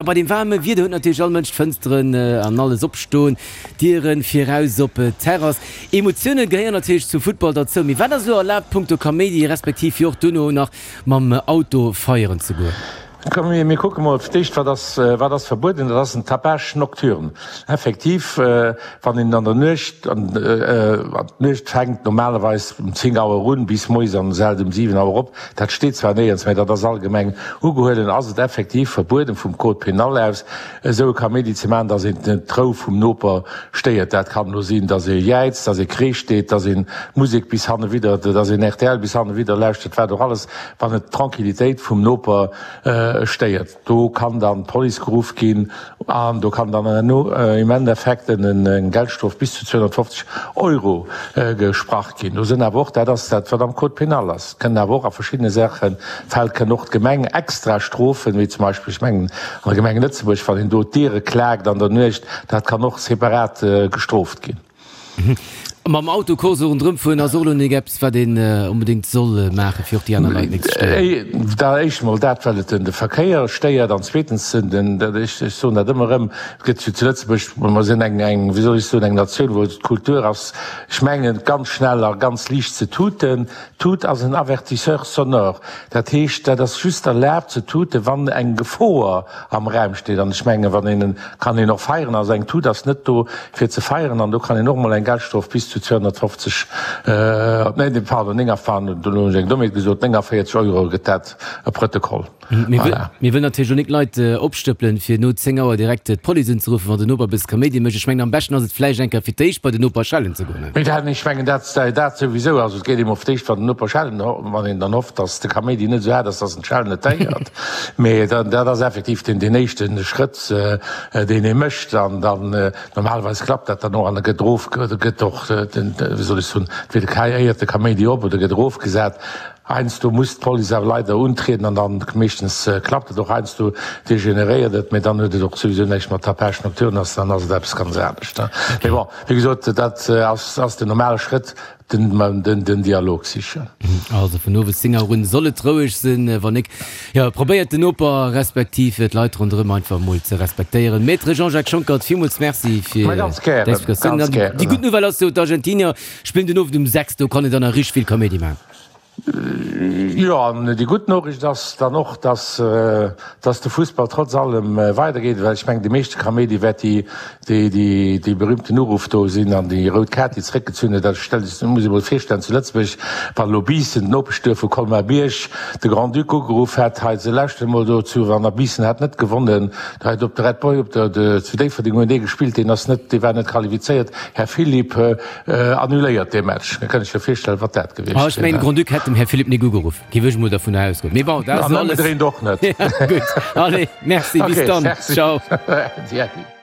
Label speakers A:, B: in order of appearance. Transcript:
A: Bei deem waarme Wieder huet natierlech all Mënsch d'Fënsteren an alles opstoen, d'Dieren fir raus op d'Terrass. Emotioune gehéieren natierlech zum Futtball derzou. Mee wat ass elo erlaabt punkto Kaméidi, respektiv fir och duerno nach mam Auto feieren ze goen?
B: Komm mir kucke mol fir d'éischt, wat ass, wat ass verbueden. Dat ass den Tapage nocturne. Effektiv, wann een an der Nuecht, an d'Nuecht fänkt normalerweis um 10 Auer un bis moies an hält um 7 Auer op, Dat steet zwar néierens, mä dat ass allgemeng ugehuelen, ass et effektiv verbueden vum Code pénal aus, esou e Kaméidi ze maachen, dass een d'Rou vum Noper stéiert. Dat kann elo sinn, dass ee jäizt, dass ee Kreesch deet, dass een Musek bis hannewidder, dass een rtl bis hannewidder lauschtert, wat och alles, wann et d'Tranquillitéit vum Noper stéiert. Do kann dann d'Police geruff ginn an do kann dann herno im Endeffekt eng Geldstrof bis zu 250 Euro gesprach ginn. Do sinn awer och, dat ass dat wat am Code pénal ass, kënnen awer och a verschiddene Saachen, Fäll kënnen och d'Gemeng extra strofen, wéi zum Beispill, ech mengen an der Gemeng Lëtzebuerg, wann een do d'Diere klaakt an der Nuecht, dat kann och separat gestrooft ginn.
A: Mam Auto Course ronderëm fueren ass och elo nik eppes wat een onbedéngt soll maachen fir och déi aner Leit nik ze stéieren.
B: Dat éischt mol dat well et den Verkéier stéiert an zweetens den, ech soen dat ëmmer erëm, et gëtt jo zu Lëtzebuerg, mer sinn eng eng wéi soll ech soen eng Natioun wou et d'Kultur ass, ech mengen ganz schnell a ganz liicht ze tuten. Tut ass en Avertisseur sonore, dat heescht dat ass just erlaabt ze tuten wann eng Gefoer am Raum steet. An ech mengen, wann een, kann een och feieren. Also eng Tut ass net do fir ze feieren an do kann een och emol eng Geldstrof bis zu 250, nee, pardon, 49, do hunn ech eng Dommheet gesot, 49 Euro gëtt dat e Protokoll.
A: Voilà. Mir wëllen natierlech och nik d'Leit opstëppelen, fir no 10 Auer direkt d'Police unzeruffen, wann den Noper e bësse Kaméidi mécht. Ech mengen, am beschten ass et vläicht eng Kéier fir d'éischt bei den Noper schellen ze goen.
B: Mee dat, ech mengen, dat, dat souwisou. Also et geet emol fir d'éischt, wann den Noper schellen, wann een dann hofft, datt de Kaméidi net esou haart ass, datt en d'Schellen net héiert. Mee dat ass effektiv deen, deen éischte Schrëtt, deen ee mécht. An dann, normalerweis klappt dat dann och an da gëtt erof, da gëtt och den, wéi soll ech soen, entweder keiéiert de Kaméidi op oder gëtt erofgesat. Heiansdo muss d'Police awer leider untrieden an dann, meeschtens klappt et och, heiansdo degeneréiert et, mee dann huet et och souwisou näischt mat Tapage nocturne, ass dann ass et eppes ganz anescht. Mee bon, wéi gesot, dat ass, ass den normale Schrëtt. Den Dialog sichen.
A: Also vun owes 10 Auer un soll et roueg sinn. Wann nik, jo, probéiert den Noper respektiv d'Leit ronderëm einfach mol ze respektéieren. Maître Jean-Jacques Schonckert, villmools Merci fir déi Explikatiounen. An déi gutt Nouvelle ass jo, d'Argentinier spillen den Owend um 6, do kann een dann nach richteg vill Kaméidi maachen.
B: Jo, an déi gutt Noriicht ass dann och, dass, dass de Fussball trotz allem weidergeet, well ech mengen, de meeschte Kaméidi wäert déi, déi, déi, dee berühmten Uruff do sinn an déi rout Kaart, déi zeréckgezunn huet. Dat stellt sech, muss ee mol virstellen, zu Lëtzebuerg, wann elo Biissen, d'Nopeschduerf vu Colmar-Bierg, de Grand-Duc ugeruff hätt, hei, se lauschteren emol do zu, wann a Biissen hat net gewonnen, hei op de Red Boy op der, de, zu Déifferdeng hunn dee gespillt, deen ass net, dee war net qualifizéiert, Här Philippe, Annuléiert dee Match. Da kann ech mir virstellen, wat dat gewiescht
A: wier. Ech mengen, de Grand-Duc hätt dem Här Philippe nik ugeruff. Géif ech emol dervunner ausgoen. Mee bon, dat ass
B: alles. An ëmgedréint och net.
A: Gutt, allez, merci, bis dann. Ciao.
B: Merci. Äddi.